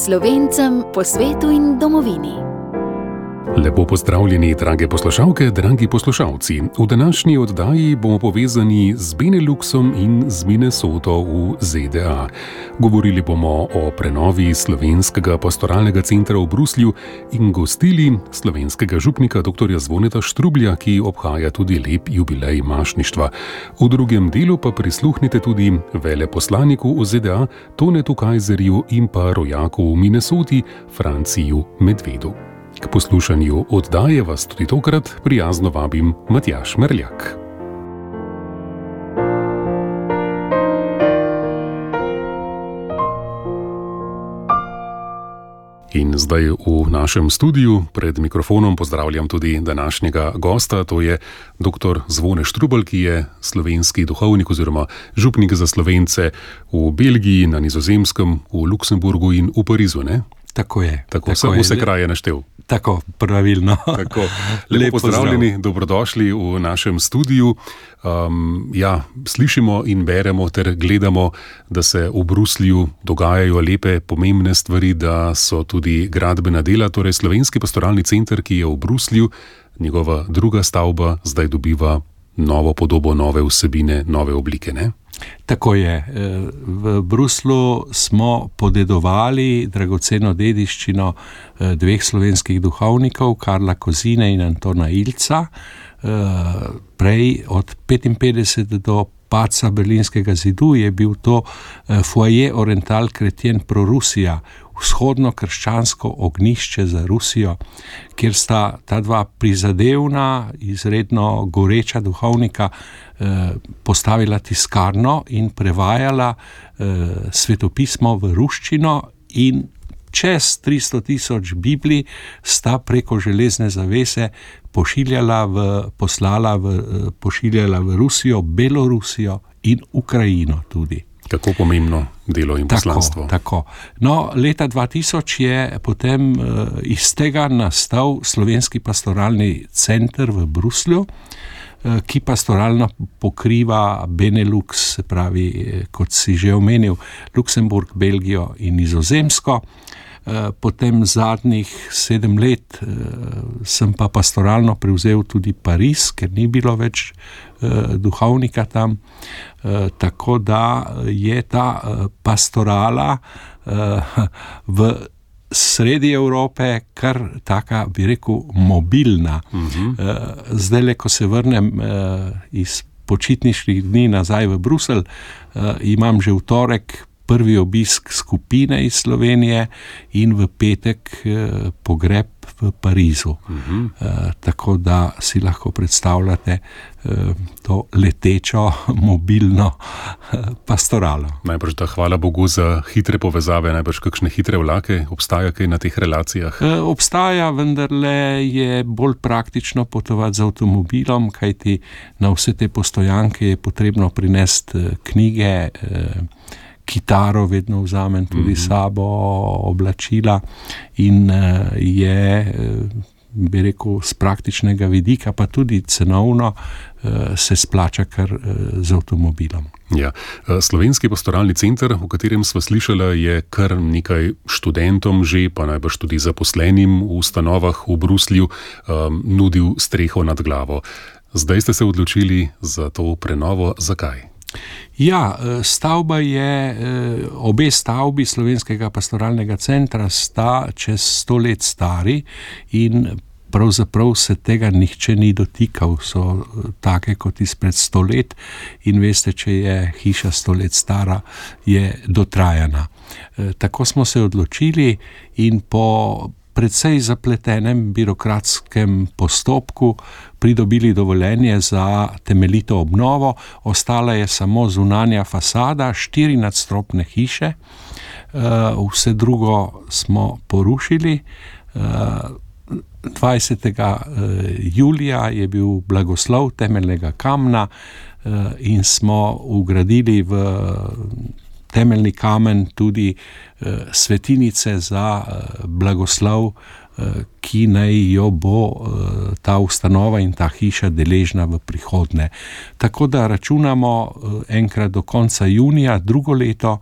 Slovencem po svetu in domovini. Lepo pozdravljeni, drage poslušalke, dragi poslušalci. V današnji oddaji bomo povezani z Beneluxom in z Minnesoto v ZDA. Govorili bomo o prenovi slovenskega pastoralnega centra v Bruslju in gostili slovenskega župnika dr. Zvoneta Štrublja, ki obhaja tudi lep jubilej mašništva. V drugem delu pa prisluhnite tudi veleposlaniku v ZDA Tonetu Kajzerju in pa rojaku v Minnesoti Franciju Medvedu. K poslušanju oddaje vas tudi tokrat prijazno vabim Matjaž Merljak. In zdaj v našem studiu pred mikrofonom pozdravljam tudi današnjega gosta, to je dr. Zvone Štrubelj, ki je slovenski duhovnik oziroma župnik za Slovence v Belgiji, na Nizozemskem, v Luksemburgu in v Parizu, ne? Tako je. Tako sem vse kraje naštel. Tako, pravilno. Tako. Lepo pozdravljeni, dobrodošli v našem studiu. Slišimo in beremo ter gledamo, da se v Bruslju dogajajo lepe, pomembne stvari, da so tudi gradbena dela, torej Slovenski pastoralni center, ki je v Bruslju, njegova druga stavba zdaj dobiva novo podobo, nove vsebine, nove oblike, ne? Tako je. V Bruslu smo podedovali dragoceno dediščino dveh slovenskih duhovnikov, Karla Kozine in Antona Ilca. Prej od 55 do padca Berlinskega zidu je bil to Foyer Oriental Chrétien pro Rusija, vzhodno krščansko ognjišče za Rusijo, kjer sta ta dva prizadevna, izredno goreča duhovnika postavila tiskarno in prevajala svetopismo v ruščino, in čez 300,000 Biblij sta preko železne zavese pošiljala v Rusijo, Belorusijo in Ukrajino tudi. Kako pomembno delo in poslanstvo. Tako. No, leta 2000 je potem iz tega nastal Slovenski pastoralni center v Bruslju, ki pastoralno pokriva Benelux, se pravi, kot si že omenil, Luksemburg, Belgijo in Nizozemsko. Potem zadnjih 7 let sem pa pastoralno prevzel tudi Pariz, ker ni bilo več duhovnika tam, tako da je ta pastorala v sredi Evrope kar taka, bi rekel, mobilna. Zdajle, ko se vrnem iz počitniških dni nazaj v Bruselj, imam že v torek prvi obisk skupine iz Slovenije in v petek pogreb v Parizu. Tako da si lahko predstavljate to letečo, mobilno pastoralo. Najbrž da, hvala Bogu za hitre povezave, najbrž kakšne hitre vlake, obstaja kaj na teh relacijah? Obstaja, vendarle je bolj praktično potovati z avtomobilom, kajti na vse te postojanke je potrebno prinesti knjige, kitaro vedno vzamem tudi sabo, oblačila, in je, bi rekel, z praktičnega vidika, pa tudi cenovno se splača kar z avtomobilom. Ja. Slovenski pastoralni center, o katerem sva slišala, je kar nekaj študentom že, pa najbrž tudi zaposlenim v ustanovah v Bruslju nudil streho nad glavo. Zdaj ste se odločili za to prenovo. Zakaj? Ja, stavba je, obe stavbi Slovenskega pastoralnega centra sta čez 100 let stari in pravzaprav se tega nihče ni dotikal, so take kot izpred 100 let, in veste, če je hiša 100 let stara, je dotrajana. Tako smo se odločili in po precej zapletenem birokratskem postopku pridobili dovoljenje za temeljito obnovo. Ostala je samo zunanja fasada, 4 nadstropne hiše, vse drugo smo porušili. 20. julija je bil blagoslov temeljnega kamna in smo vgradili v temeljni kamen tudi svetinice za blagoslov, ki naj jo bo ta ustanova in ta hiša deležna v prihodnje. Tako da računamo enkrat do konca junija drugo leto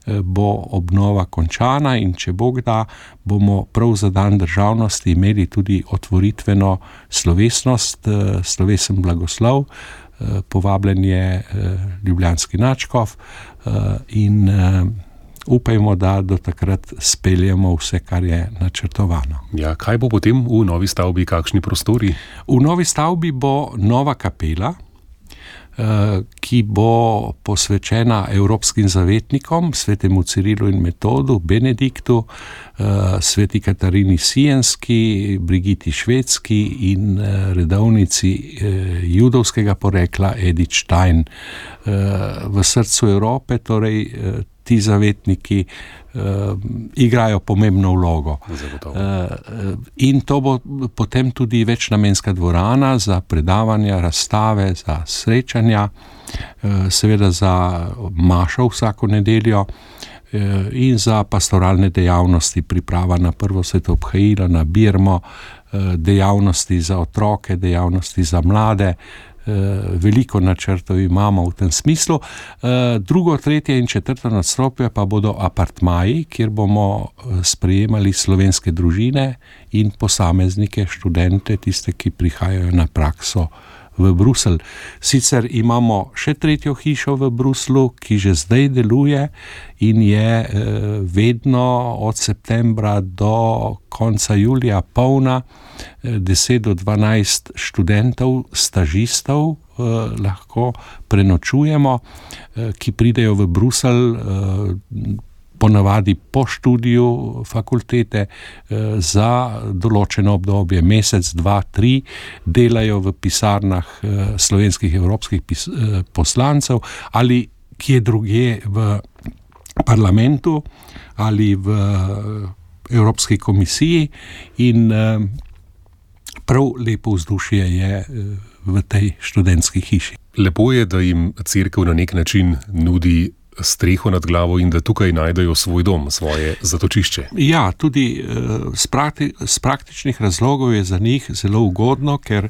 bo obnova končana in če Bog da, bomo prav za dan državnosti imeli tudi otvoritveno slovesnost, slovesen blagoslov, povabljen je ljubljanski nadškof in upajmo, da do takrat speljemo vse, kar je načrtovano. Ja, kaj bo potem v novi stavbi, kakšni prostori? V novi stavbi bo nova kapela, ki bo posvečena evropskim zavetnikom, svetemu Cirilu in Metodu, Benediktu, sveti Katarini Sienski, Brigiti Švedski in redovnici judovskega porekla Edith Stein. V srcu Evrope, torej ti zavetniki igrajo pomembno vlogo. In to bo potem tudi večnamenska dvorana za predavanja, razstave, za srečanja, seveda za mašo vsako nedeljo in za pastoralne dejavnosti, priprava na prvo sveto obhajilo, na birmo, dejavnosti za otroke, dejavnosti za mlade. Veliko načrtov imamo v tem smislu. Drugo, tretje in četrto nadstropje pa bodo apartmaji, kjer bomo sprejemali slovenske družine in posameznike, študente, tiste, ki prihajajo na prakso v Bruselj. Sicer imamo še tretjo hišo v Bruslju, ki že zdaj deluje in je vedno od septembra do konca julija polna, 10 do 12 študentov, stažistov lahko prenočujemo, ki pridejo v Bruselj ponavadi po študiju fakultete za določeno obdobje, mesec, 2, 3, delajo v pisarnah slovenskih evropskih poslancev ali kje drugje v parlamentu ali v Evropski komisiji in prav lepo vzdušje je v tej študentski hiši. Lepo je, da jim cerkev na nek način nudi streho nad glavo in da tukaj najdejo svoj dom, svoje zatočišče. Ja, tudi z praktičnih razlogov je za njih zelo ugodno, ker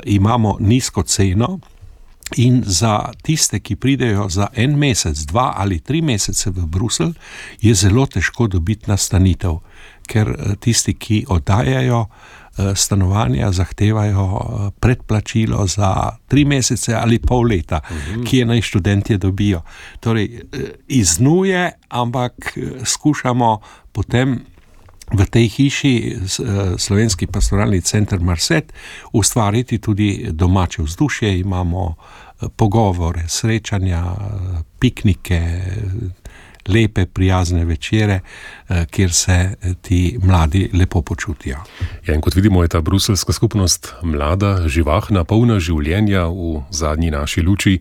imamo nizko ceno in za tiste, ki pridejo za 1 mesec, 2 ali 3 mesece v Bruselj, je zelo težko dobiti nastanitev, ker tisti, ki oddajajo stanovanja, zahtevajo predplačilo za 3 mesece ali pol leta, ki je naj študentje dobijo. Torej, iznuje, ampak skušamo potem v tej hiši, Slovenski pastoralni center Marset, ustvariti tudi domače vzdušje. Imamo pogovore, srečanja, piknike, lepe, prijazne večere, kjer se ti mladi lepo počutijo. Ja, in kot vidimo, je ta bruseljska skupnost mlada, živahna, polna življenja. V zadnji naši luči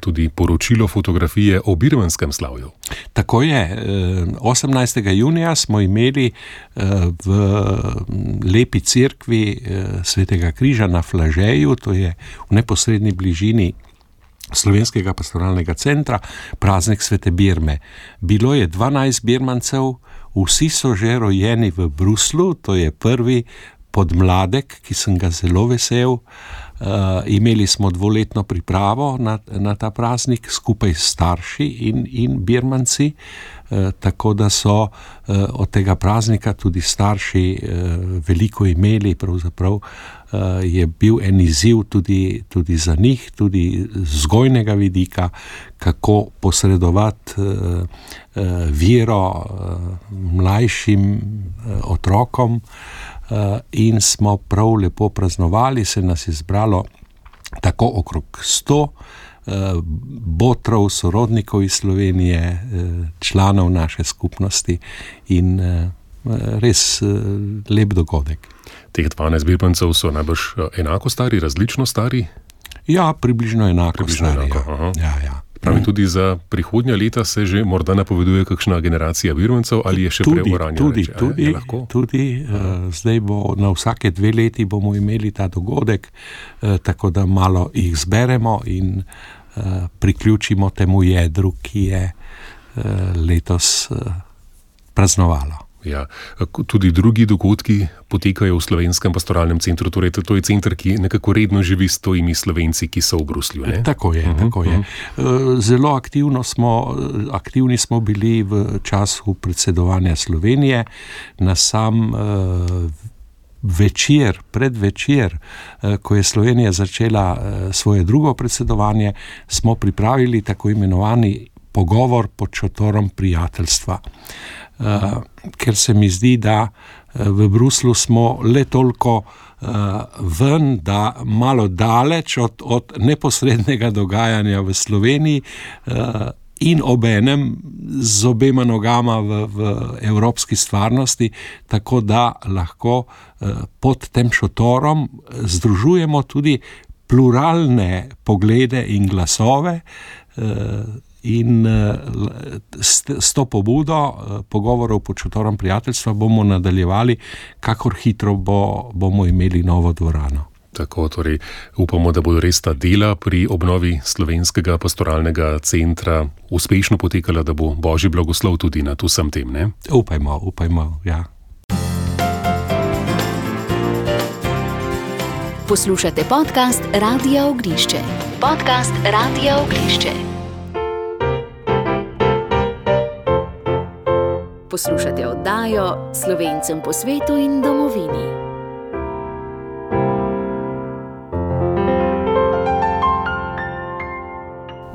tudi poročilo fotografije o birmanskem slavju. Tako je. 18. junija smo imeli v lepi cerkvi Svetega križa na Flažeju, to je v neposredni bližini Slovenskega pastoralnega centra, praznik Svete Birme. Bilo je 12 birmancev, vsi so že rojeni v Bruslju, to je prvi podmladek, ki sem ga zelo vesel. Imeli smo 2-letno pripravo na ta praznik skupaj s starši in birmanci, tako da so od tega praznika tudi starši veliko imeli, pravzaprav je bil en izziv tudi za njih, tudi vzgojnega vidika, kako posredovati vero mlajšim otrokom, in smo prav lepo praznovali, se nas je zbralo tako okrog 100 botrov, sorodnikov iz Slovenije, članov naše skupnosti in res lep dogodek. Teh 12 birmancev so najbrž enako stari, različno stari? Ja, približno enako stari. Ja. Pravi, tudi za prihodnja leta se že morda napoveduje kakšna generacija birmancev ali je še preuranjeno? Tudi. Zdaj bo na vsake 2 leti bomo imeli ta dogodek, tako da malo jih zberemo in priključimo temu jedru, ki je letos praznovalo. Ja. Tudi drugi dogodki potekajo v Slovenskem pastoralnem centru, torej to je center, ki nekako redno živi s tojimi Slovenci, ki so v Bruslju. Ne? Tako je. Zelo aktivni smo bili v času predsedovanja Slovenije. Na sam predvečer, ko je Slovenija začela svoje drugo predsedovanje, smo pripravili tako imenovani pogovor pod šotorom prijateljstva. Ker se mi zdi, da v Bruslu smo le toliko ven, da malo daleč od neposrednega dogajanja v Sloveniji in obenem z obema nogama v evropski stvarnosti, tako da lahko pod tem šotorom združujemo tudi pluralne poglede in glasove, in s to pobudo pogovorov pod šotorom prijateljstva bomo nadaljevali, kakor hitro bomo imeli novo dvorano. Tako, torej upamo, da bodo res ta dela pri obnovi Slovenskega pastoralnega centra uspešno potekala, da bo Božji blagoslov tudi nad vsem tem, ne? Upajmo, ja. Poslušate podcast Radia Oglišče. Poslušate oddajo Slovencem po svetu in domovini.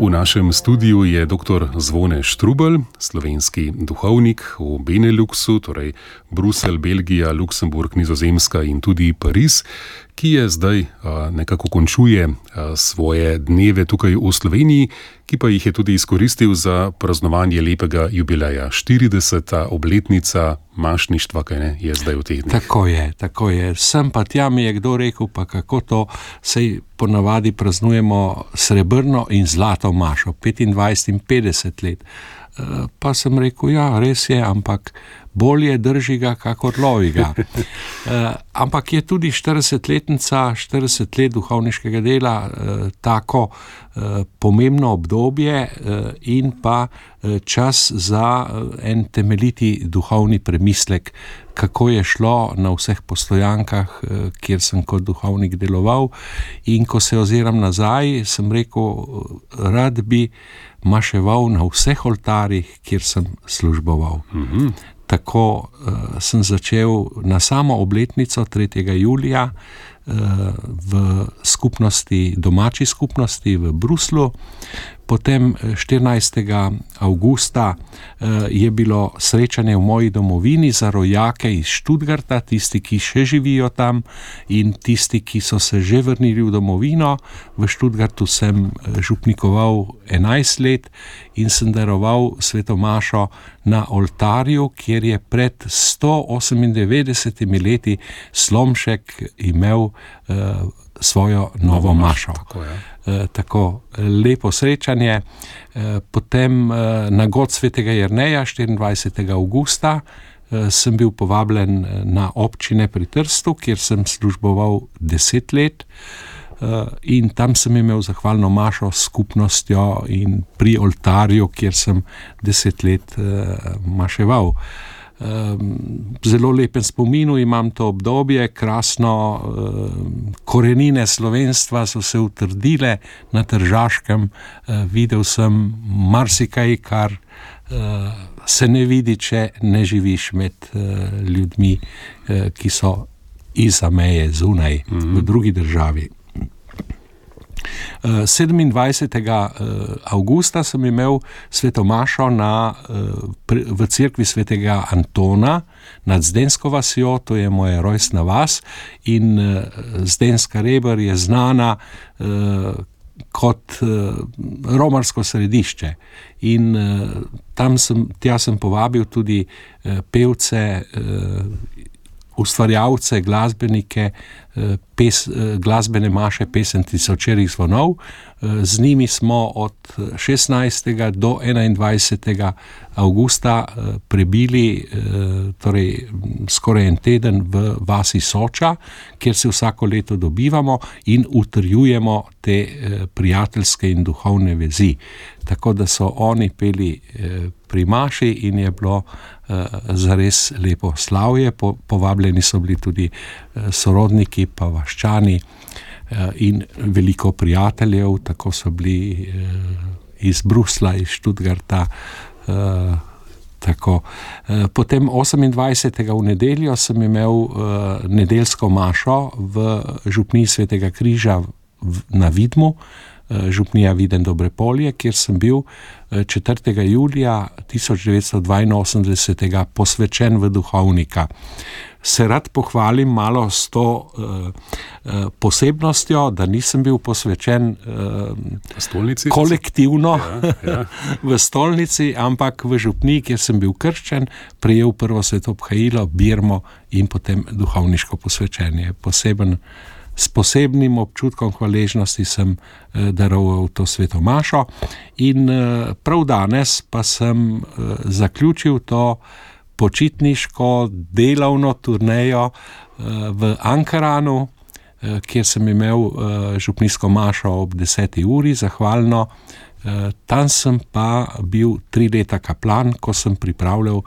V našem studiu je dr. Zvone Štrukelj, slovenski duhovnik v Beneluxu, torej Bruselj, Belgija, Luksemburg, Nizozemska in tudi Pariz, ki je zdaj nekako končuje svoje dneve tukaj v Sloveniji, ki pa jih je tudi izkoristil za praznovanje lepega jubileja. 40. obletnica mašništva, kaj ne, je zdaj v teh dneh. Tako je. Sem pa tja mi je kdo rekel, pa kako to, sej ponavadi praznujemo srebrno in zlato mašo, 25 in 50 let. Pa sem rekel, ja, res je, ampak bolje drži ga, kakor lovi ga. Ampak je tudi 40-letnica, 40 let duhovniškega dela, tako pomembno obdobje in pa čas za en temeljiti duhovni premislek, kako je šlo na vseh postojankah, kjer sem kot duhovnik deloval. In ko se oziram nazaj, sem rekel, rad bi maševal na vseh oltarjih, kjer sem služboval. Tako sem začel na samo obletnico 3. julija v skupnosti, domači skupnosti v Bruslu. Potem 14. avgusta je bilo srečanje v moji domovini za rojake iz Stuttgarta, tisti, ki še živijo tam in tisti, ki so se že vrnili v domovino. V Stuttgartu sem župnikoval 11 let in sem daroval sveto mašo na oltarju, kjer je pred 198 leti Slomšek imel svojo novo mašo. Tako lepo srečanje. Potem na god svetega Jerneja 24. avgusta sem bil povabljen na občine pri Trstu, kjer sem služboval 10 let in tam sem imel zahvalno mašo s skupnostjo in pri oltarju, kjer sem 10 let maševal. Zelo lepen spominu imam to obdobje, krasno, korenine slovenstva so se utrdile na Tržaškem, videl sem marsikaj, kar se ne vidi, če ne živiš med ljudmi, ki so izza meje, zunaj, v drugi državi. 27. avgusta sem imel sveto mašo v cerkvi svetega Antona nad Zdensko vasjo, to je moja rojstna vas, in Zdenska Reber je znana kot romarsko središče. In tja sem povabil tudi pevce, ustvarjalce, glasbenike glasbene maše Pesem tisočerih zvonov. Z njimi smo od 16. do 21. avgusta prebili torej skoraj en teden v vasi Soča, kjer se vsako leto dobivamo in utrjujemo te prijateljske in duhovne vezi. Tako da so oni peli pri maši in je bilo zares lepo slavje. Povabljeni so bili tudi sorodniki pa vaščani in veliko prijateljev, tako so bili iz Brusla, iz Stuttgarta. Tako. Potem 28. v nedeljo sem imel nedeljsko mašo v župniji Svetega križa na Vidmu, župnija Viden Dobrepolje, kjer sem bil 4. julija 1982. posvečen v duhovnika. Se rad pohvalim malo s to posebnostjo, da nisem bil posvečen kolektivno v stolnici, ampak v župniji, kjer sem bil krščen, prejel prvo svetobhajilo, birmo in potem duhovniško posvečenje. S posebnim občutkom hvaležnosti sem daroval to sveto mašo in prav danes pa sem zaključil to počitniško delovno turnejo v Ankaranu, kjer sem imel župnijsko mašo ob 10. uri, zahvalno. Tam sem pa bil 3 leta kaplan, ko sem pripravljal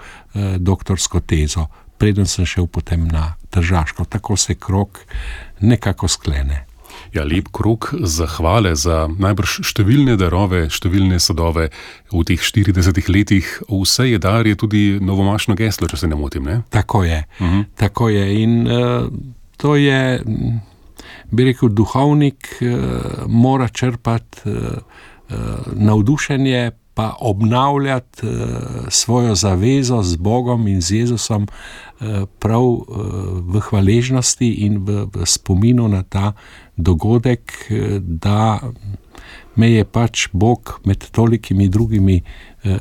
doktorsko tezo, preden sem šel potem na Tržaško. Tako se krog nekako sklene. Ja, lep krog zahvale za najbrž številne darove, številne sadove v teh 40 letih. Vse je dar je tudi novomašno geslo, če se ne motim, ne? Tako je. Tako je. In to je, bi rekel, duhovnik mora črpati navdušenje, pa obnavljati svojo zavezo z Bogom in z Jezusom prav v hvaležnosti in v spominu na ta dogodek, da me je pač Bog med tolikimi drugimi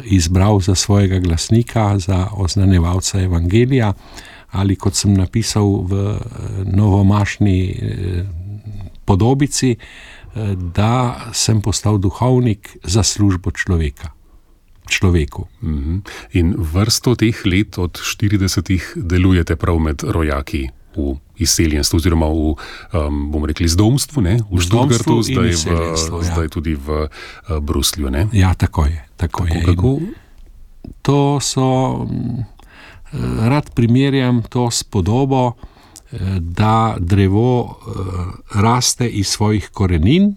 izbral za svojega glasnika, za oznanjevalca evangelija, ali kot sem napisal v novomašni podobici, da sem postal duhovnik za službo človeku. In vrsto teh let od 40 delujete prav med rojaki v izseljenstvu, oziroma v, bomo rekli, zdomstvu, ne? V Stuttgartu, zdaj tudi v Bruslju, ne? Ja, tako je. Kako? To so, rad primerjam to s podobo, da drevo raste iz svojih korenin,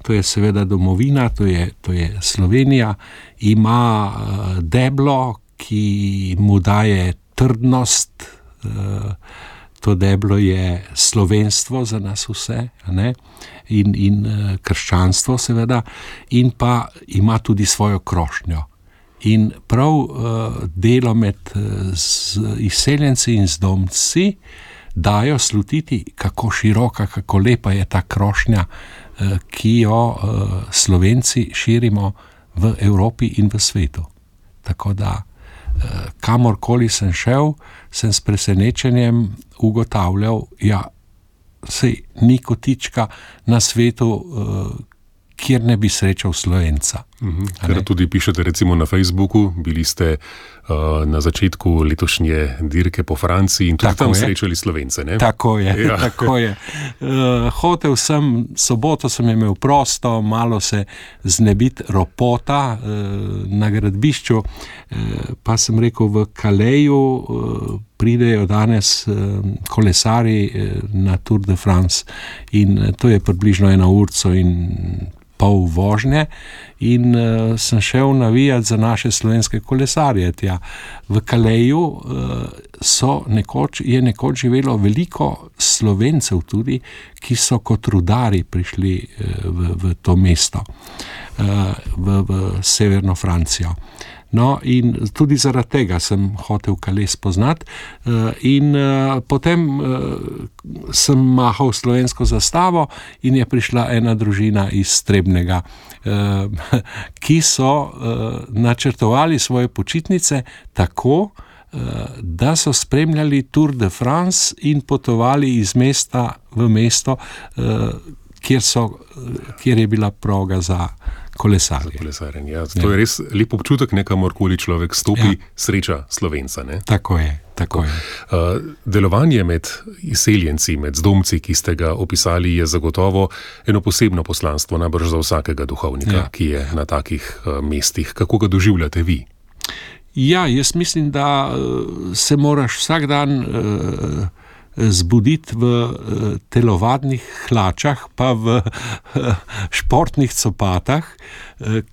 to je seveda domovina, to je Slovenija, ima deblo, ki mu daje trdnost, to deblo je slovenstvo za nas vse, ne? In krščanstvo seveda, in pa ima tudi svojo krošnjo. In prav delo med izseljenci in zdomci dajo slutiti, kako široka, kako lepa je ta krošnja, ki jo Slovenci širimo v Evropi in v svetu. Tako da, kamorkoli sem šel, sem s presenečenjem ugotavljal, saj ni kotička na svetu, kjer ne bi srečal Slovenca. Ker tudi pišete recimo na Facebooku, bili ste na začetku letošnje dirke po Franciji in tudi tako tam srečali Slovence, ne? Tako je, ja. Tako je. Hotel sem, soboto sem imel prosto, malo se znebiti ropota na gradbišču, pa sem rekel, v Calaisu pridejo danes kolesari na Tour de France in to je približno 1 urco in pol vožnje in sem šel navijati za naše slovenske kolesarje tja. V Calaisu je nekoč živelo veliko Slovencev tudi, ki so kot rudari prišli v to mesto, v severno Francijo. No, in tudi zaradi tega sem hotel Calais spoznati in potem sem mahal slovensko zastavo in je prišla ena družina iz Trebnjega, ki so načrtovali svoje počitnice tako, da so spremljali Tour de France in potovali iz mesta v mesto, kjer je bila proga za kolesarje. Ja. To je res lep občutek, kamorkoli človek stopi, sreča Slovenca. Ne? Tako je. Delovanje med izseljenci, med zdomci, ki ste ga opisali, je zagotovo eno posebno poslanstvo, najbrž za vsakega duhovnika, ki je na takih mestih. Kako ga doživljate vi? Ja, jaz mislim, da se moraš vsak dan zbuditi v telovadnih hlačah, pa v športnih copatah,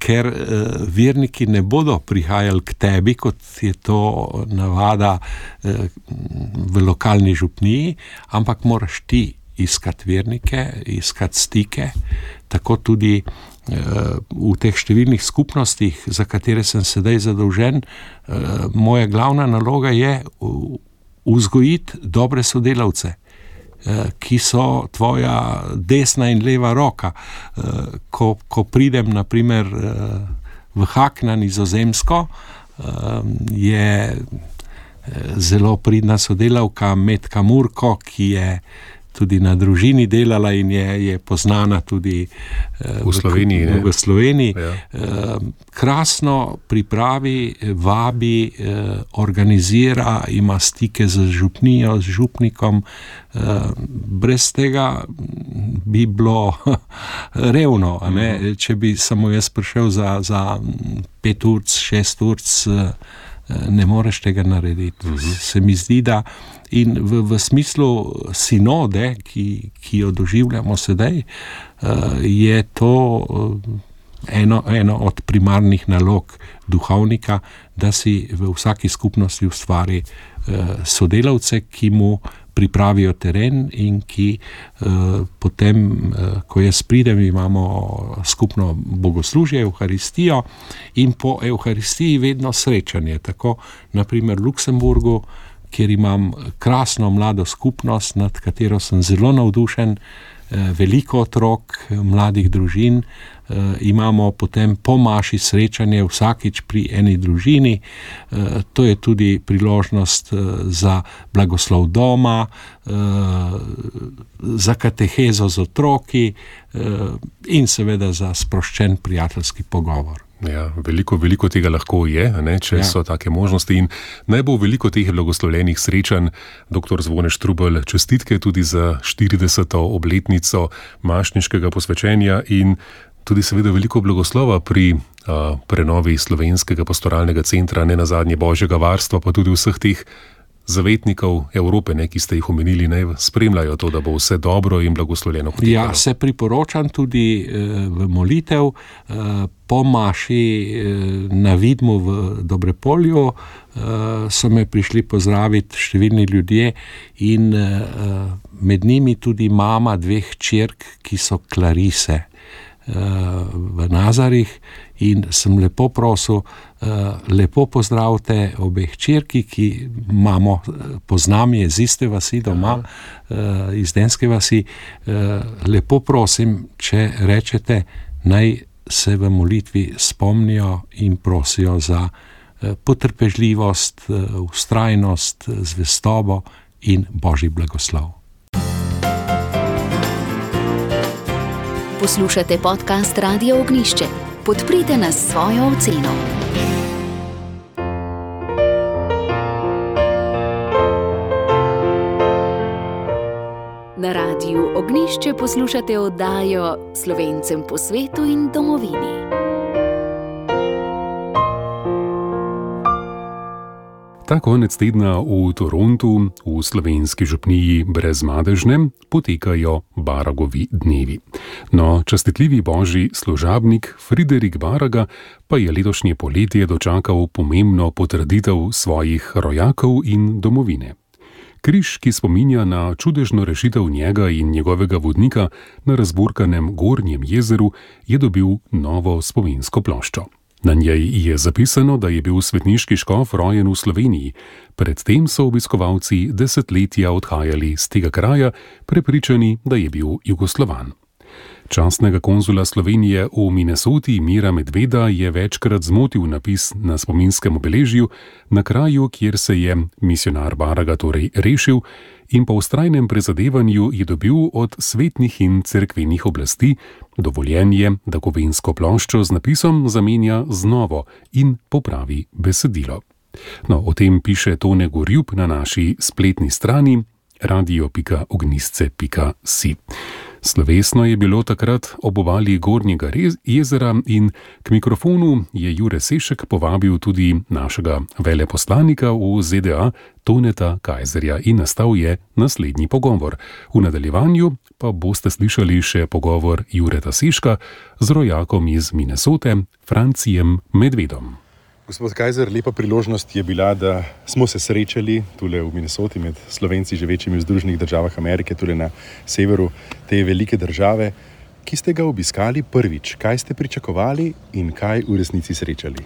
ker verniki ne bodo prihajali k tebi, kot je to navada v lokalni župniji, ampak moraš ti iskati vernike, iskati stike, tako tudi v teh številnih skupnostih, za katere sem sedaj zadolžen. Moja glavna naloga je vzgojiti dobre sodelavce, ki so tvoja desna in leva roka. Ko pridem na primer v Hak na Nizozemsko, je zelo pridna sodelavka Metka Murko, ki je tudi na družini delala in je poznana tudi v Sloveniji. Ja. Krasno pripravi, vabi, organizira, ima stike z župnijo, z župnikom. Brez tega bi bilo revno, če bi samo jaz prišel za 5 ur, 6 ur, ne moreš tega narediti. Se mi zdi, da in v smislu sinode, ki jo doživljamo sedaj, je to eno od primarnih nalog duhovnika, da si v vsaki skupnosti ustvari sodelavce, ki mu pripravijo teren in ki potem, ko jaz pridem, imamo skupno bogoslužje, Evharistijo, in po Evharistiji vedno srečanje. Tako na primer v Luksemburgu, kjer imam krasno mlado skupnost, nad katero sem zelo navdušen, veliko otrok, mladih družin, imamo potem po maši srečanje vsakič pri eni družini. To je tudi priložnost za blagoslov doma, za katehezo z otroki in seveda za sproščen prijateljski pogovor. Ja, veliko tega lahko je, če so take možnosti, in naj bo veliko teh blagoslovljenih srečanj. Dr. Zvone Štrukelj, čestitke tudi za 40. obletnico mašniškega posvečenja in tudi seveda veliko blagoslova pri prenovi Slovenskega pastoralnega centra, ne nazadnje Božjega varstva, pa tudi vseh teh zavetnikov Evrope, ki ste jih omenili, naj spremljajo to, da bo vse dobro in blagoslovljeno potekalo. Ja, se priporočam tudi v molitev. Po maši na Vidmu v Dobrepolju so me prišli pozdraviti številni ljudje in med njimi tudi mama 2 hčerk, ki so klarise v Nazarih, in sem lepo prosil, lepo pozdravite obe hčerki, ki mamo poznam, je z iste vasi doma, iz Denske vasi. Lepo prosim, če rečete, naj se v molitvi spomnijo in prosijo za potrpežljivost, vztrajnost, zvestobo in Božji blagoslov. Poslušate podcast Radia Ognjišče. Podprite nas s svojo oceno. Na Radiu Ognjišče poslušate oddajo Slovencem po svetu in domovini. Ta konec tedna v Torontu, v slovenski župniji Brezmadežne, potekajo Baragovi dnevi. No, častitljivi božji služabnik Friderik Baraga pa je letošnje poletje dočakal pomembno potrditev svojih rojakov in domovine. Križ, ki spominja na čudežno rešitev njega in njegovega vodnika na razburkanem Gornjem jezeru, je dobil novo spominsko ploščo. Na njej je zapisano, da je bil svetniški škof rojen v Sloveniji. Predtem so obiskovalci desetletja odhajali z tega kraja, prepričani, da je bil Jugoslovan. Častnega konzula Slovenije v Minnesoti Mira Medveda je večkrat zmotil napis na spominskem obeležju na kraju, kjer se je misijonar Baraga torej rešil in po vztrajnem prizadevanju je dobil od svetnih in cerkvenih oblasti dovoljenje, da kovinsko ploščo z napisom zamenja z novo in popravi besedilo. No, o tem piše Tone Gorjup na naši spletni strani radio.ognjisce.si. Slovesno je bilo takrat ob obali Gornjega jezera in k mikrofonu je Jure Sešek povabil tudi našega veleposlanika v ZDA Toneta Kajzerja in nastal je naslednji pogovor. V nadaljevanju pa boste slišali še pogovor Jureta Seška z rojakom iz Minnesote, Francijem Medvedom. Gospod Kajzer, lepa priložnost je bila, da smo se srečali tule v Minnesoti med Slovenci živečimi v Združenih državah Amerike, tule na severu te velike države. Ki ste ga obiskali prvič? Kaj ste pričakovali in kaj v resnici srečali?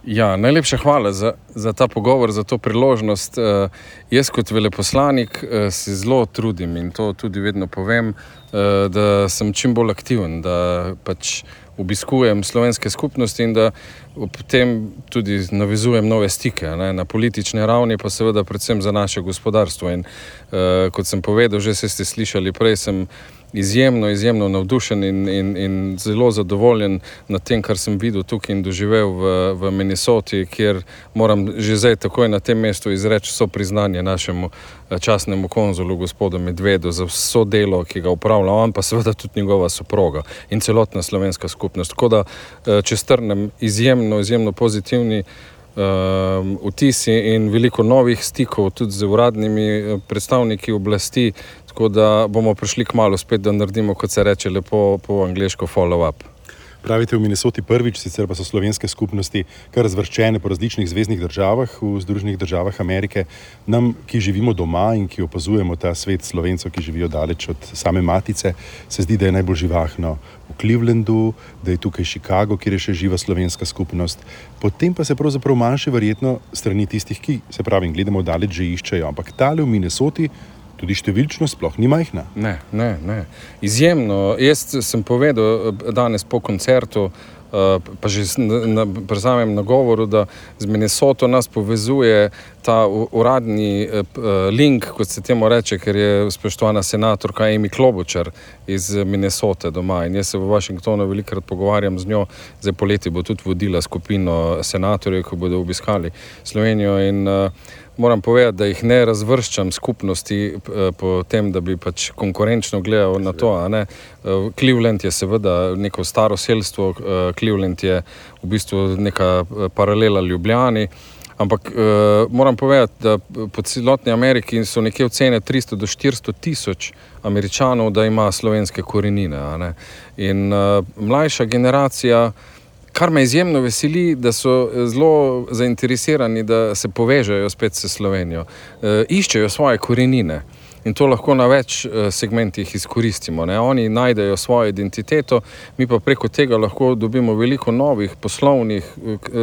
Ja, najlepša hvala za ta pogovor, za to priložnost. Jaz kot veleposlanik se zelo trudim in to tudi vedno povem, da sem čim bolj aktiven, da pač obiskujem slovenske skupnosti in da potem tudi navezujem nove stike, ne, na politični ravni, pa seveda predvsem za naše gospodarstvo. In kot sem povedal, že ste slišali prej, sem izjemno navdušen in zelo zadovoljen nad tem, kar sem videl tukaj in doživel v Minnesoti, kjer moram že zdaj takoj na tem mestu izreči vso priznanje našemu častnemu konzulu, gospodu Medvedu, za vso delo, ki ga upravlja on, pa seveda tudi njegova soproga in celotna slovenska skupnost. Tako da, če strnem, izjemno pozitivni vtisi in veliko novih stikov tudi z uradnimi predstavniki oblasti, tako da bomo prišli kmalu spet, da naredimo, kot se reče lepo po angleško, follow-up. Pravite v Minnesoti prvič, sicer pa so slovenske skupnosti kar razvrščene po različnih zveznih državah v Združenih državah Amerike. Nam, ki živimo doma in ki opazujemo ta svet Slovencev, ki živijo daleč od same matice, se zdi, da je najbolj živahno v Clevelandu, da je tukaj Chicago, kjer je še živa slovenska skupnost. Potem pa se pravzaprav manjše verjetno strani tistih, ki, se pravim, gledamo daleč, že iščejo. Ampak tale v Minnesoti tudi številčno sploh ni majhna. Ne. Izjemno. Jaz sem povedal danes po koncertu, pa že pri samem nagovoru, da z Minnesoto nas povezuje ta uradni link, kot se temu reče, ker je spoštovana senatorka Amy Klobuchar iz Minnesote doma. In jaz se v Washingtonu velikokrat pogovarjam z njo. Zdaj poleti bo tudi vodila skupino senatorjev, ki bodo obiskali Slovenijo in moram povedati, da jih ne razvrščam skupnosti po tem, da bi pač konkurenčno gledal na to. Cleveland je seveda neko staro selstvo, Cleveland je v bistvu neka paralela Ljubljani, ampak moram povedati, da po celotni Ameriki so nekje ocene 300 do 400 tisoč Američanov, da ima slovenske korenine. In mlajša generacija, kar me izjemno veseli, da so zelo zainteresirani, da se povežejo spet s Slovenijo. Iščejo svoje korenine in to lahko na več segmentih izkoristimo. Oni najdejo svojo identiteto, mi pa preko tega lahko dobimo veliko novih poslovnih,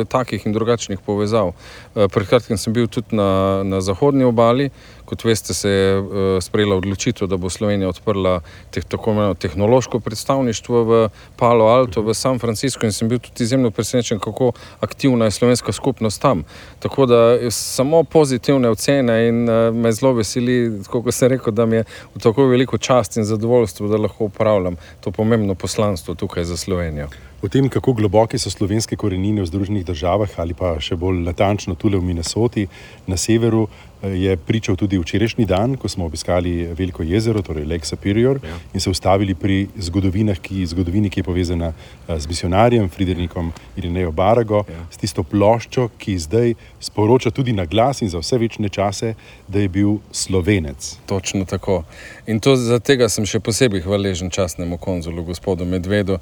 takih in drugačnih povezav. Pred kratkim sem bil tudi na zahodni obali. Kot veste, se je sprejela odločitev, da bo Slovenija odprla tako imenovano tehnološko predstavništvo v Palo Alto, v San Francisco, in sem bil tudi izjemno presenečen, kako aktivna je slovenska skupnost tam. Tako da samo pozitivne ocene in me zelo veseli, kot sem rekel, da mi je v tako veliko čast in zadovoljstvo, da lahko upravljam to pomembno poslanstvo tukaj za Slovenijo. O tem, kako globoke so slovenske korenine v Združenih državah ali pa še bolj natančno tule v Minnesoti na severu, je pričal tudi včerajšnji dan, ko smo obiskali Veliko jezero, torej Lake Superior, in se ustavili pri zgodovini, ki je povezana z misionarjem Fridericom Irinejo Barago, s tisto ploščo, ki zdaj sporoča tudi na glas in za vse večne čase, da je bil Slovenec. Točno tako. In to za tega sem še posebej hvaležen častnemu konzulu, gospodu Medvedu.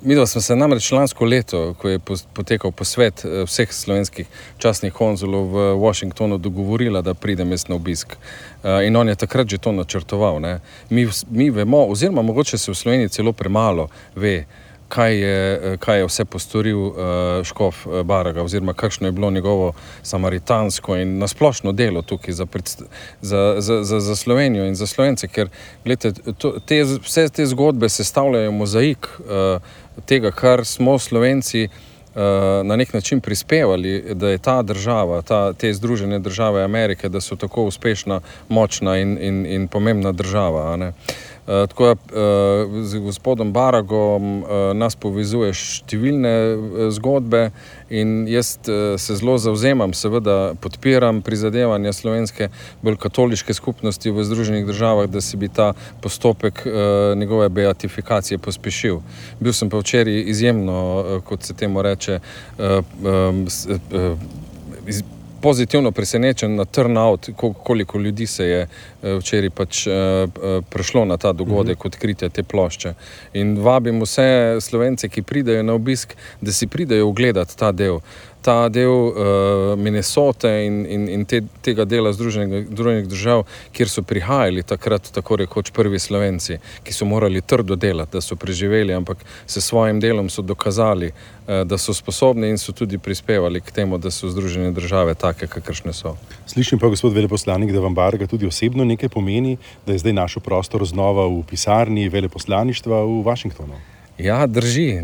Midva smo se namreč lansko leto, ko je potekal posvet vseh slovenskih častnih konzulov v Washingtonu, dogovorila, da pridem jaz na obisk. In on je takrat že to načrtoval. Mi vemo, oziroma mogoče se v Sloveniji celo premalo ve, kaj je vse postoril škof Baraga, oziroma kakšno je bilo njegovo samaritansko in nasplošno delo tukaj za Slovenijo in za Slovence, ker gledajte, vse te zgodbe sestavljajo mozaik tega, kar smo Slovenci na nek način prispevali, da je ta država, te Združene države Amerike, da so tako uspešna, močna in pomembna država, a ne. Tako da z gospodom Baragom nas povezuje številne zgodbe in jaz se zelo zavzemam, seveda podpiram prizadevanja slovenske bolj katoliške skupnosti v Združenih državah, da se bi ta postopek njegove beatifikacije pospešil. Bil sem pa včeraj izjemno, kot se temu reče, pozitivno presenečen na turnout, koliko ljudi se je včeraj pač prišlo na ta dogodek odkritja te plošče. In vabim vse Slovence, ki pridejo na obisk, da si pridejo ogledati ta del Minnesote in tega dela Združenih držav, kjer so prihajali takrat tako rekoč prvi Slovenci, ki so morali trdo delati, da so preživeli, ampak se svojim delom so dokazali, da so sposobni in so tudi prispevali k temu, da so Združene države take, kakršne so. Slišim pa, gospod veleposlanik, da vam Baraga tudi osebno nekaj pomeni, da je zdaj našel prostor znova v pisarni veleposlaništva v Washingtonu. Ja, drži.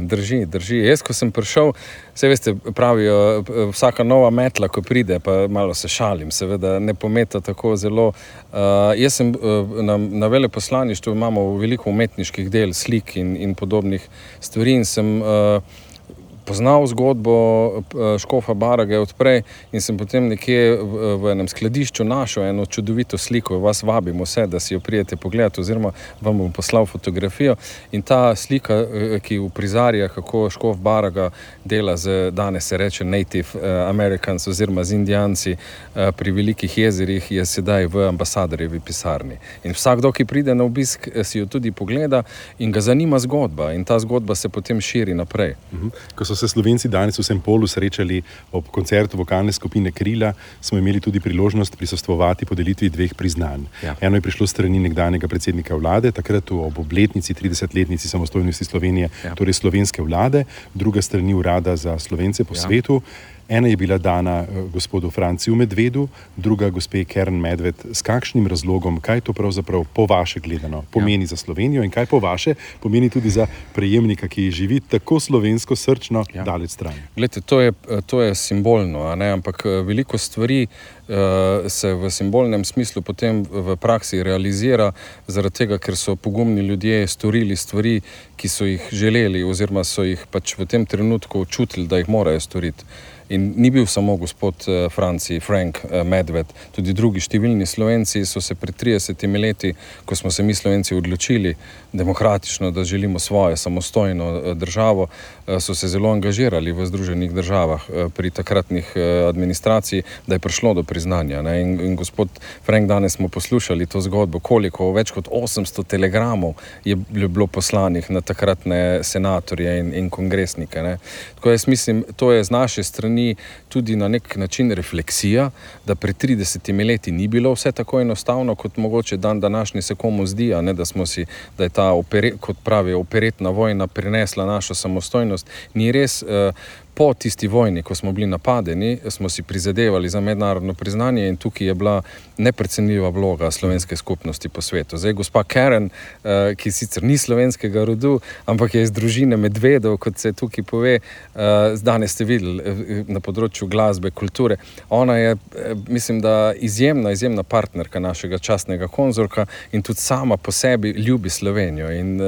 Jaz, ko sem prišel, saj veste, pravijo, vsaka nova metla, ko pride, pa malo se šalim, seveda ne pometa tako zelo. Jaz sem na veleposlaništvu, imamo veliko umetniških del, slik in podobnih stvari in sem poznal zgodbo škofa Baraga odprej in sem potem nekje v enem skladišču našel eno čudovito sliko. Vas vabim vse, da si jo prijete pogledati, oziroma vam bom poslal fotografijo. In ta slika, ki uprizarja, kako škof Baraga dela z, danes se reče Native Americans, oziroma z Indijanci pri Velikih jezerih, je sedaj v ambasadorjevi pisarni. In vsakdo, ki pride na obisk, si jo tudi pogleda in ga zanima zgodba. In ta zgodba se potem širi naprej. Ko so se Slovenci danes v St. Paulu srečali ob koncertu vokalne skupine Krila, smo imeli tudi priložnost prisostvovati podelitvi 2 priznanj. Ja. Eno je prišlo strani nekdanjega predsednika vlade, takrat ob obletnici 30-letnici samostojnosti Slovenije, torej slovenske vlade, druga strani Urada za Slovence po svetu. Ena je bila dana gospodu Franciju Medvedu, druga gospe Karen Medved. S kakšnim razlogom, kaj to pravzaprav po vaše gledano pomeni za Slovenijo in kaj po vaše pomeni tudi za prejemnika, ki živi tako slovensko srčno daleč stran? Glejte, to je simbolno, a ne? Ampak veliko stvari se v simbolnem smislu potem v praksi realizira, zaradi tega, ker so pogumni ljudje storili stvari, ki so jih želeli oziroma so jih pač v tem trenutku čutili, da jih morajo storiti. In ni bil samo gospod Frank Medved, tudi drugi številni Slovenci so se pred 30 leti, ko smo se mi Slovenci odločili demokratično, da želimo svojo samostojno državo, so se zelo angažirali v Združenih državah pri takratnih administraciji, da je prišlo do priznanja. Ne? In gospod Frank, danes smo poslušali to zgodbo, koliko, več kot 800 telegramov je bilo poslanih na takratne senatorje in kongresnike. Ne? Tako jaz mislim, to je z naše strani tudi na nek način refleksija, da pred 30 leti ni bilo vse tako enostavno, kot mogoče dan današnji se komu zdi, a ne, da je ta, kot pravi, operetna vojna prinesla našo samostojnost. Ni res. Po tisti vojni, ko smo bili napadeni, smo si prizadevali za mednarodno priznanje in tukaj je bila neprecenljiva vloga slovenske skupnosti po svetu. Zdaj, gospa Karen, ki sicer ni slovenskega rodu, ampak je iz družine Medvedov, kot se tukaj pove, danes ste videli na področju glasbe, kulture. Ona je, mislim, da izjemna partnerka našega častnega konzorka in tudi sama po sebi ljubi Slovenijo. In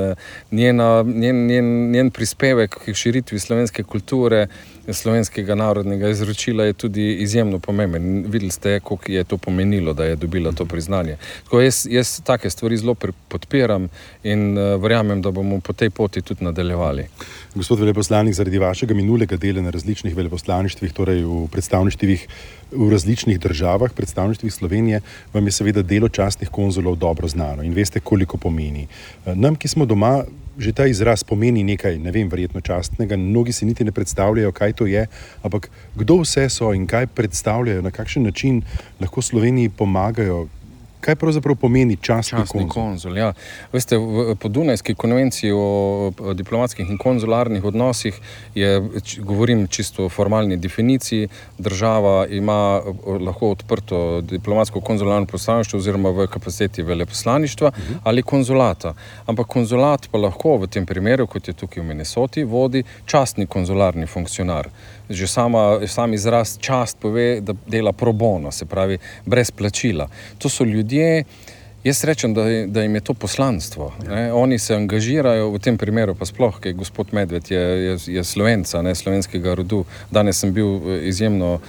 njen prispevek k širitvi slovenske kulture, slovenskega narodnega izročila je tudi izjemno pomemben. Videli ste, koliko je to pomenilo, da je dobila to priznanje. Tako jaz take stvari zelo podpiram in verjamem, da bomo po tej poti tudi nadaljevali. Gospod veleposlanik, zaradi vašega minulega dela na različnih veleposlaništvih, torej v predstavništvih v različnih državah, predstavništvih Slovenije, vam je seveda delo častnih konzulov dobro znano in veste, koliko pomeni. Nam, ki smo doma, že ta izraz pomeni nekaj, ne vem, verjetno častnega, mnogi si niti ne predstavljajo, kaj to je, ampak kdo vse so in kaj predstavljajo, na kakšen način lahko Sloveniji pomagajo Kaj pravzaprav pomeni častni konzul? Ja. Veste, po Dunajski konvenciji o diplomatskih in konzularnih odnosih govorim čisto o formalni definiciji, država ima lahko odprto diplomatsko konzularno predstavništvo oziroma v kapaciteti veleposlaništva ali konzulata. Ampak konzulat pa lahko v tem primeru, kot je tukaj v Minnesoti, vodi častni konzularni funkcionar. Že sam izraz čast pove, da dela pro bono, se pravi brez plačila. To so ljudje, jaz rečem, da jim je to poslanstvo. Ne? Oni se angažirajo, v tem primeru pa sploh, ker gospod Medved je Slovenca, ne, slovenskega rodu. Danes sem bil izjemno,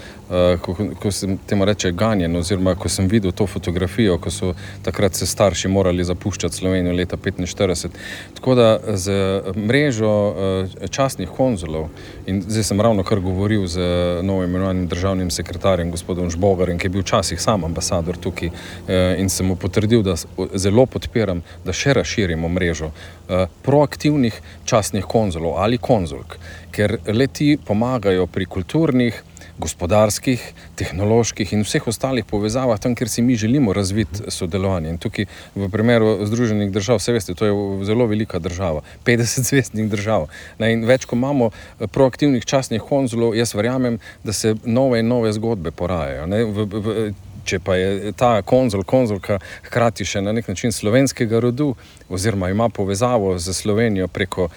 ko sem temu reče ganjen, oziroma ko sem videl to fotografijo, ko so takrat se starši morali zapuščati Slovenijo leta 1945. Tako da z mrežo častnih konzulov, in zdaj sem ravno kar govoril z novoimenovanim državnim sekretarjem, gospodom Žbogarjem, ki je bil včasih sam ambasador tukaj, in sem mu potrdil, da zelo podpiram, da še razširimo mrežo proaktivnih častnih konzulov ali konzulk, ker le-ti pomagajo pri kulturnih, gospodarskih, tehnoloških in vseh ostalih povezavah tam, kjer si mi želimo razviti sodelovanje. In tukaj v primeru Združenih držav, vse veste, to je zelo velika država, 50 zvezdnih držav. In več, ko imamo proaktivnih častnih konzulov, jaz verjamem, da se nove in nove zgodbe porajajo. Če pa je ta konzulka hkrati še na nek način slovenskega rodu, oziroma ima povezavo z Slovenijo preko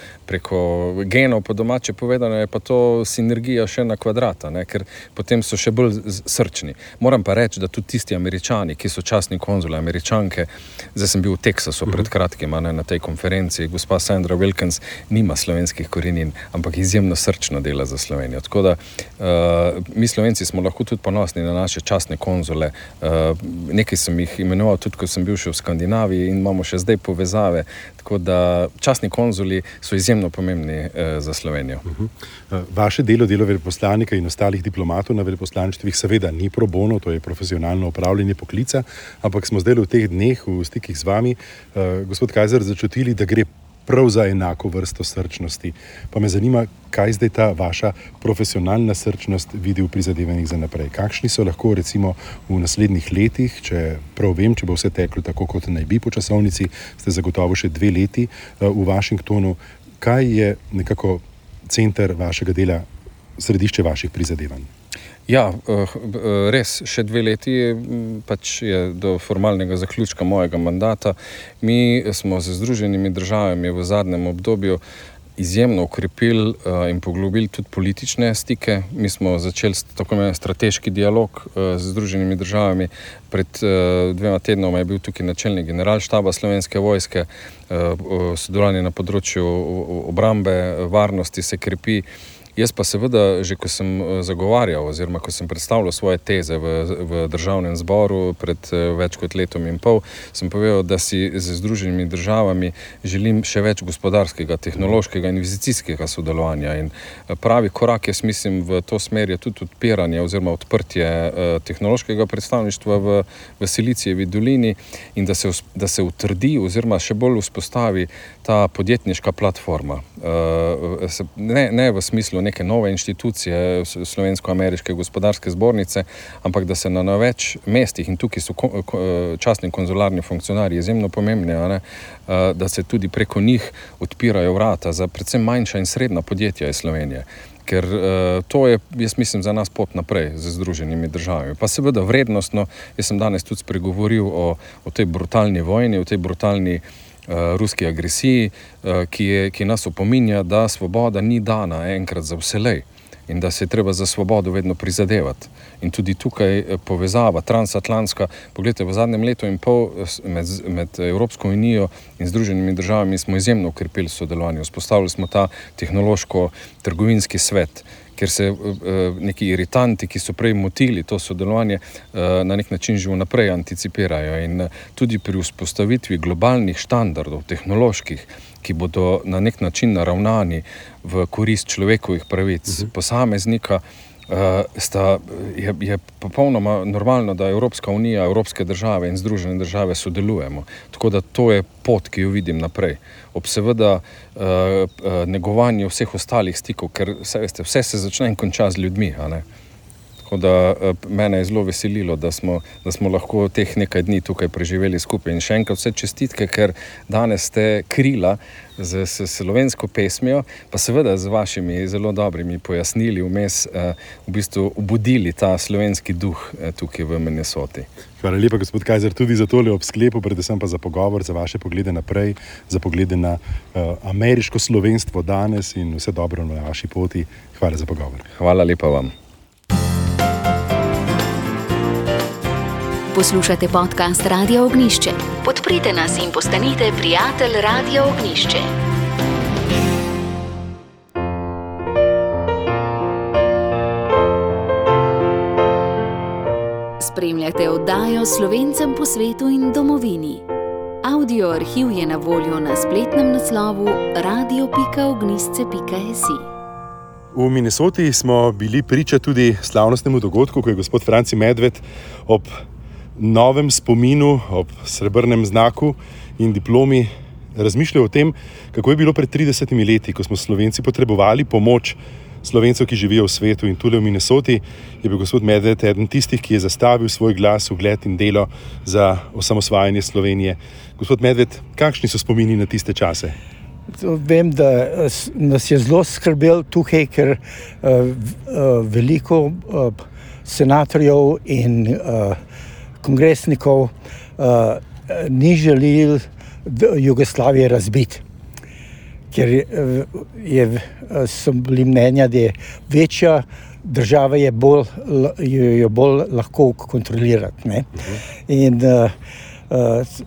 genov, po domače povedano, je pa to sinergija še na kvadrata, ne? Ker potem so še bolj srčni. Moram pa reči, da tudi tisti Američani, ki so častni konzuli, Američanke, zdaj sem bil v Teksasu pred kratkim, na tej konferenciji, gospa Sandra Wilkins nima slovenskih korenin, ampak izjemno srčno dela za Slovenijo. Tako da mi Slovenci smo lahko tudi ponosni na naše častne konzule. Nekaj sem jih imenoval tudi, ko sem bil še v Skandinaviji in imamo še zdaj povezave, tako da častni konzuli so izjemno pomembni za Slovenijo. Vaše delo veleposlanika in ostalih diplomatov na veleposlaništvih seveda ni pro bono, to je profesionalno opravljanje poklica, ampak smo zdaj v teh dneh v stikih z vami, gospod Kajzer, začutili, da gre prav za enako vrsto srčnosti. Pa me zanima, kaj zdaj ta vaša profesionalna srčnost vidi v prizadevanjih za naprej. Kakšni so lahko recimo v naslednjih letih, če prav vem, če bo vse teklo tako, kot naj bi po časovnici, ste zagotovo še 2 leti v Washingtonu. Kaj je nekako center vašega dela, središče vaših prizadevanj? Ja, res, še 2 leti pač je do formalnega zaključka mojega mandata. Mi smo z Združenimi državami v zadnjem obdobju izjemno ukrepili in poglobili tudi politične stike. Mi smo začeli tako imenovan strateški dialog z Združenimi državami. Pred 2 tednoma je bil tukaj načelnik generalštaba Slovenske vojske. Sodelovanje na področju obrambe, varnosti se krepi. Jaz pa seveda, že ko sem zagovarjal oziroma ko sem predstavljal svoje teze v državnem zboru pred več kot 1,5 leta, sem povedal, da si z Združenimi državami želim še več gospodarskega, tehnološkega in investicijskega sodelovanja. In pravi korak, jaz mislim, v to smer je tudi odpiranje oziroma odprtje tehnološkega predstavništva v Silicijevi dolini in da se utrdi oziroma še bolj vzpostavi ta podjetniška platforma. Ne v smislu neke nove inštitucije Slovensko-ameriške gospodarske zbornice, ampak da se na več mestih, in tukaj so častni konzularni funkcionarji izjemno pomembni, da se tudi preko njih odpirajo vrata za predvsem manjša in srednja podjetja iz Slovenije. Ker to je, jaz mislim, za nas pot naprej z Združenimi državami. Pa seveda vrednostno, jaz sem danes tudi spregovoril o tej brutalni vojni, o tej brutalni ruski agresiji, ki nas opominja, da svoboda ni dana enkrat za vselej in da se je treba za svobodo vedno prizadevati. In tudi tukaj povezava transatlantska, poglejte, v zadnjem 1,5 leta med Evropsko unijo in Združenimi državami smo izjemno ukrepili sodelovanje. Vzpostavili smo ta tehnološko-trgovinski svet, ker se neki iritanti, ki so prej motili to sodelovanje, na nek način že vnaprej anticipirajo. In tudi pri vzpostavitvi globalnih štandardov, tehnoloških, ki bodo na nek način naravnani v korist človekovih pravic posameznika, je popolnoma normalno, da Evropska unija, evropske države in Združene države sodelujemo. Tako da to je pot, ki jo vidim naprej. Ob seveda negovanju vseh ostalih stikov, ker vse se začne in konča z ljudmi, a ne? Tako da mene je zelo veselilo, da smo lahko teh nekaj dni tukaj preživeli skupaj. In še enkrat vse čestitke, ker danes ste krila z slovensko pesmijo, pa seveda z vašimi zelo dobrimi pojasnili vmes v bistvu obudili ta slovenski duh tukaj v Minnesoti. Hvala lepa, gospod Kajzer, tudi za tole ob sklepu, predvsem pa za pogovor, za vaše poglede naprej, za poglede na ameriško slovenstvo danes in vse dobro na vaši poti. Hvala za pogovor. Hvala lepa vam. Poslušate podcast Radio Ognjišče. Podprite nas in postanite prijatelj Radio Ognjišče. Spremljate oddajo Slovencem po svetu in domovini. Audio arhiv je na voljo na spletnem naslovu radio.ognjišče.si. V Minnesoti smo bili priča tudi slavnostnemu dogodku, ko je gospod Franci Medved ob novem spominu, ob srebrnem znaku in diplomi razmišljal o tem, kako je bilo pred 30 leti, ko smo Slovenci potrebovali pomoč Slovencev, ki živijo v svetu, in tule v Minnesoti je bil gospod Medved eden tistih, ki je zastavil svoj glas, ugled in delo za osamosvajanje Slovenije. Gospod Medved, kakšni so spomini na tiste čase? Vem, da nas je zelo skrbel tukaj, ker veliko senatorjev in kongresnikov ni želel Jugoslavije razbiti, ker so bili mnenja, da je večja država jo bolj lahko kontrolirati. Ne? In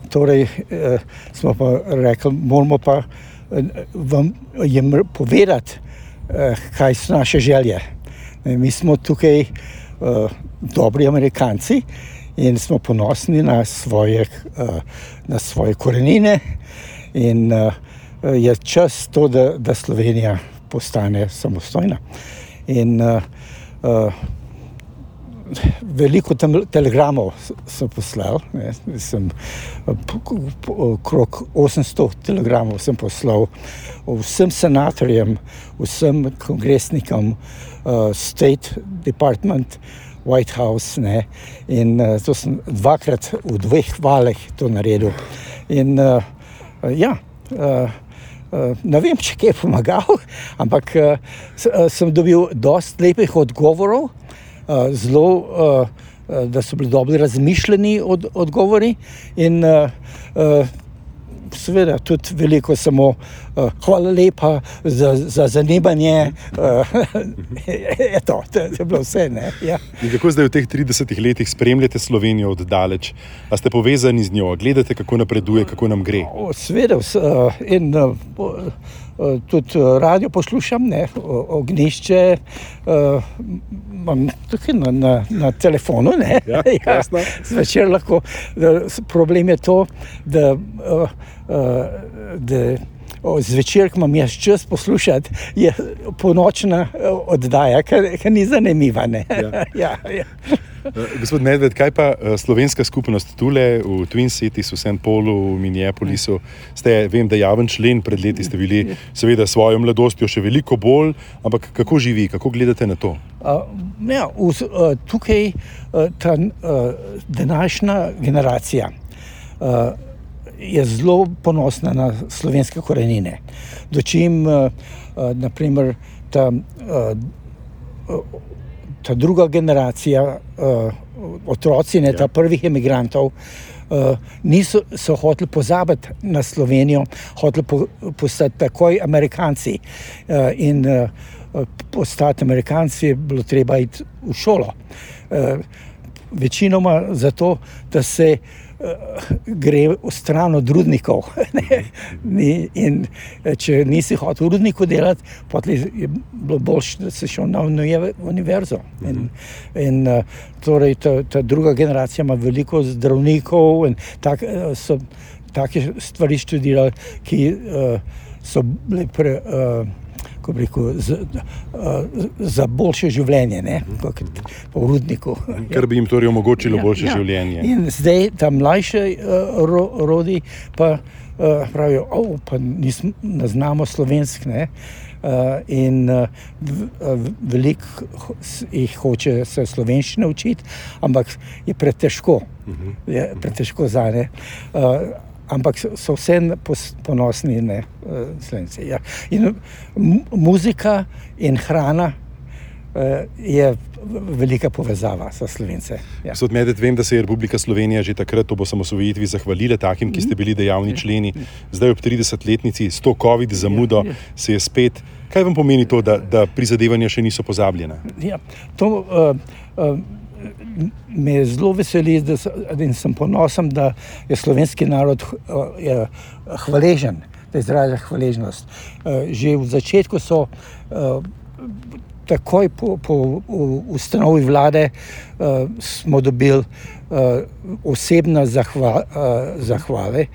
torej smo pa rekli, moramo pa jim povedati, kaj so naše želje. Mi smo tukaj dobri Amerikanci in smo ponosni na svoje korenine in je čas to, da Slovenija postane samostojna. In veliko telegramov sem poslal, okrog 800 telegramov sem poslal vsem senatorjem, vsem kongresnikom, State Department, White House, ne, in to sem dvakrat v 2 valih to naredil. In ne vem, če kaj je pomagal, ampak sem dobil dosti lepih odgovorov, zelo, da so bili dobro razmišljeni odgovori in seveda tudi veliko samo hvala lepa za zanimanje. To je bilo vse. Ne? Ja. In kako zdaj v teh 30 letih spremljate Slovenijo od daleč? A ste povezani z njo? Gledate, kako napreduje, kako nam gre? Seveda. In tudi radio poslušam, ne, Ognjišče, imam tukaj na telefonu, ne. Ja, zvečer lahko. Problem je to, da zvečer, ko imam jaz čas poslušati, je ponočna oddaja, ker ni zanimiva, ne. Ja. Gospod Medved, kaj pa slovenska skupnost tule v Twin Cities, v St. Paulu, v Minneapolisu? Ste, vem, da javen člen, pred leti ste bili seveda svojo mladostjo še veliko bolj, ampak kako živi, kako gledate na to? Tukaj ta današnja generacija je zelo ponosna na slovenske korenine. Dočim, naprimer, ta druga generacija, otroci, ne, ta prvih emigrantov, so hoteli pozabiti na Slovenijo, hoteli postati takoj Amerikanci. In postati Amerikanci je bilo treba iti v šolo. Večinoma zato, da se gre v stran od rudnikov. In če nisi hotel v rudniku delati, potem je bilo boljše, da si šel na univerzo. In torej ta druga generacija ima veliko zdravnikov in so take stvari študirali, ki so bili ko bi rekel, za boljše življenje, ne, kot po Rudniku. Kar bi jim torej omogočilo boljše življenje. In zdaj ta mlajše rodi pa pravijo, pa ne znamo slovensk, ne. In veliko jih hoče se slovenščine učiti, ampak je pretežko. Je pretežko zanje. Ampak so vse ponosni, ne, Slovenci. Ja. In muzika in hrana je velika povezava za Slovence. Ja. Gospod Medved, vem, da se je Republika Slovenija že takrat ob osamosvojitvi zahvalila takim, ki ste bili dejavni členi. Zdaj ob 30-letnici s to COVID zamudo se je spet. Kaj vam pomeni to, da prizadevanja še niso pozabljena? Ja, to me zelo veseli in sem ponosen, da je slovenski narod hvaležen, da izraža hvaležnost. Že v začetku so takoj po ustanovi vlade smo dobili osebne zahvale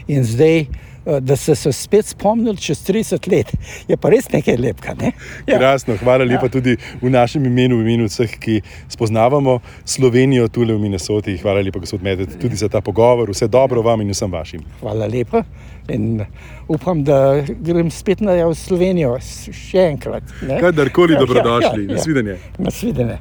in zdaj, da se spet spomnili čez 30 let, je pa res nekaj lepega, ne? Ja. Krasno, hvala lepa tudi v našem imenu, v imenu vseh, ki spoznavamo Slovenijo tule v Minnesoti. Hvala lepa, gospod Medved, tudi za ta pogovor. Vse dobro vam in vsem vašim. Hvala lepa in upam, da grem spet v Slovenijo še enkrat. Kadarkoli dobrodošli. Nasvidenje. Nasvidenje.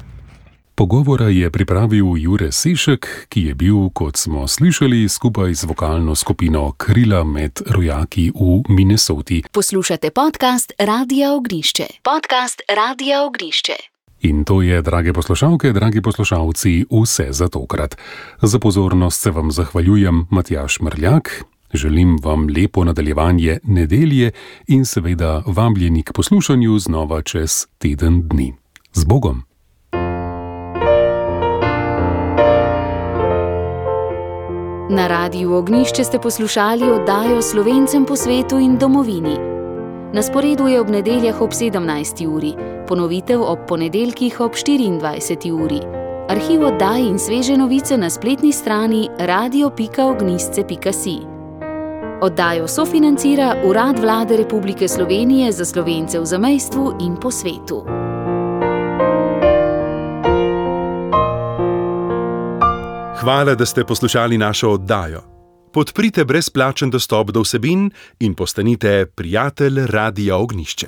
Pogovora je pripravil Jure Sešek, ki je bil, kot smo slišali, skupaj z vokalno skupino Krila med rojaki v Minnesoti. Poslušate podcast Radia Ognišče. Podcast Radia Ognišče. In to je, drage poslušalke, dragi poslušalci, vse za tokrat. Za pozornost se vam zahvaljujem, Matjaž Mrljak. Želim vam lepo nadaljevanje nedelje in seveda vabljeni k poslušanju znova čez teden dni. Z Bogom! Na Radiu Ognišče ste poslušali oddajo Slovencem po svetu in domovini. Na sporedu je ob nedeljah ob 17. uri, ponovitev ob ponedeljkih ob 24. uri. Arhiv oddaj in sveže novice na spletni strani radio.ognisce.si. Oddajo sofinancira Urad Vlade Republike Slovenije za Slovence v zamejstvu in po svetu. Hvala, da ste poslušali našo oddajo. Podprite brezplačen dostop do vsebin in postanite prijatelj Radia Ognišče.